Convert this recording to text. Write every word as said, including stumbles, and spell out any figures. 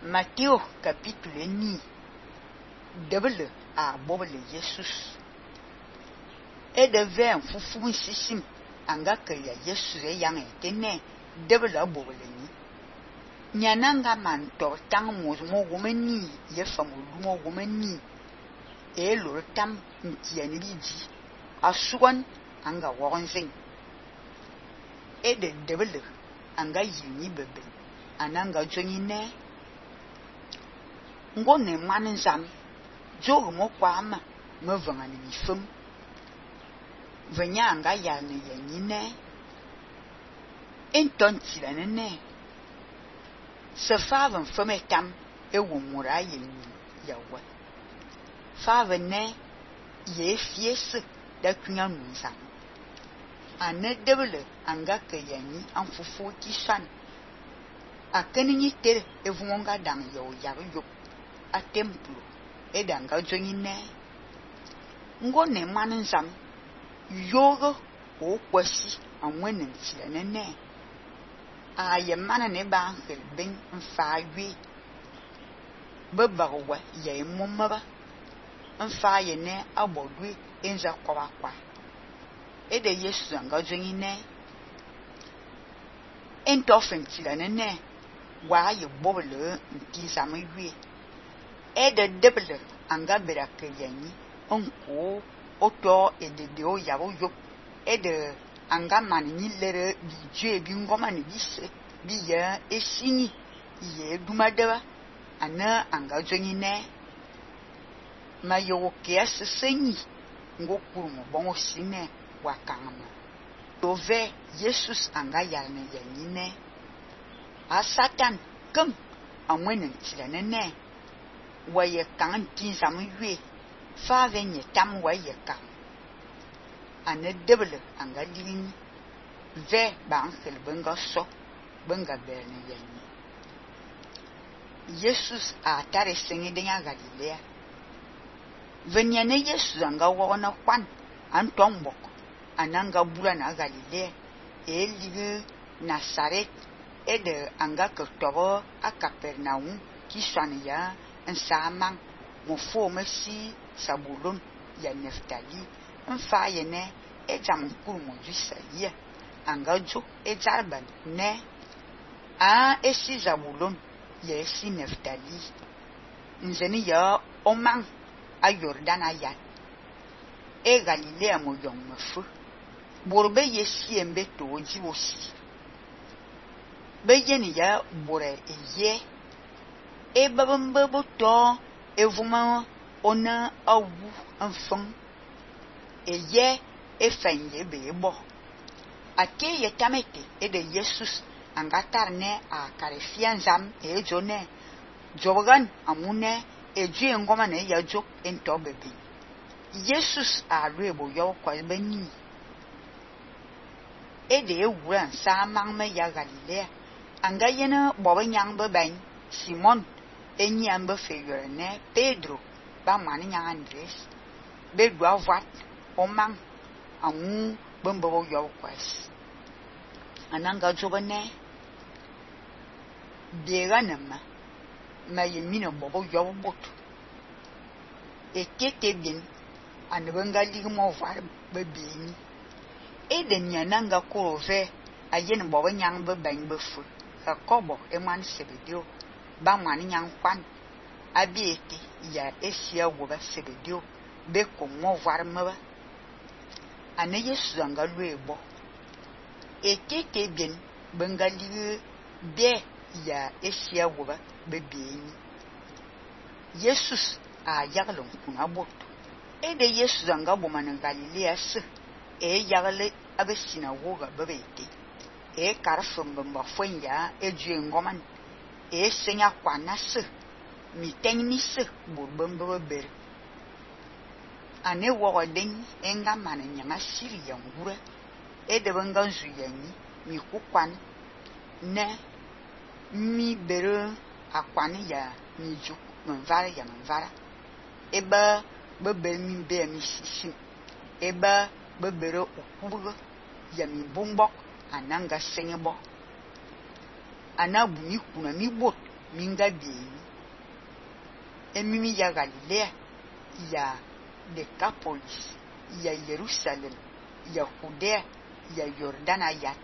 Matthieu capítulo ni double a bobele Jesus. E de ver fufu sisim anga ke ya Jesus e yang etene double a bobele ni. Nyananga man to tang mo mo gomeni ye famo mo gomeni e lo tam ntiani biji asuwan anga wogonzing. E de double anga yini bebe ananga joni ne ngone man zam jogo mo kwama me vanga ni fum venya anga ya ne yanyi ne enton tira ne ne se faven fome tam e womura yin yawa faven ne ye fiese da kunya nunzam ane debele anga ke yanyi an fufu ki san akeni ni tere e vunga dang yo yaru yo a templo e danga joni ne ngone man zam yogo o kwasi anwenen tira ne ne a ye mana ne ba hel ben mfa wi bebawa ye momaba mfa ye ne abodwe enza kwa kwa e de Yesu anga joni ne entofen tira ne ne wa ye bobele nti zame wi e de debele anga berake yanyi onko oto e de de o yabo yo e de anga man ni lere bi je bi ngoma ni bise bi ya esini ye dumadeba ana anga joni ne ma yo ke asenyi ngokuru mo bon sine wakanga to ve Jesus anga yarne yanyi ne a Satan kum amwenen tira ne ne waye kan tin zamu yue fa venye tam waye kan ane debele anga lini ve ba ankel benga so benga berne yanyi Jesus a tare sengi denga Galilea venya ne Jesus anga wona kwan antombok ananga bula na Galilea e ligue Nazaret e de anga ke tobo a Capernaum ki swane ya ensamang mo fo mesi Sabulon ya Neftali mfa ye ne e jam kuru mo Isaia anga jo e jarban ne a esi Zabulon ya esi Neftali nzeni ya omang a Jordan aya e Galilea mo yong mefu borbe yesi embe to jiwosi be yeni ya bore eye e babambe boto evuma ona awu enfon eye e fanye bebo ake ye tamete e de Jesus angatar ne a karefian zam e jone jogan amune e ju ngoma ne ya jo ento bebe Jesus a rebo yo kwa beni e de ewura sa mang me ya Galilea anga yena bobe nyang be ben Simon enyi ambe feyore ne Pedro ba mani nyang Andres be dwa vat omang amu bembo yo kwes ananga jogane bega nama ma yemino bobo yo bot e tete bin anbenga ligmo var be bini e de nyananga ko ve ayen bobo nyang be ben be fu ka kobo e man sebedio ba mani nyang kwan abieti ya esia wo ba sebedio be ko mo var maba ane Yesu anga luebo e tete bin bengali be ya esia wo ba be bieni Jesus a yagalon kuna boto e de Yesu anga bo man Galilea se e yagale abe sinagoga bebete e karfum bamba fonya e ju ngoman e senya kwana se mi tenni se bo bamba ber ane wo den enga man nyama siri ya ngura e de banga nzu yanyi mi kukwan ne mi bere akwani ya mi ju manvara ya manvara eba bebe mi be mi sisim eba bebere okubugo ya mi bumbok ananga senyebo anabu mi kuna mi bot minga bien. Et mimi ya Galilée, il y a Décapolis, il y a Jérusalem, il y a Judée, il y a Jordan, il y a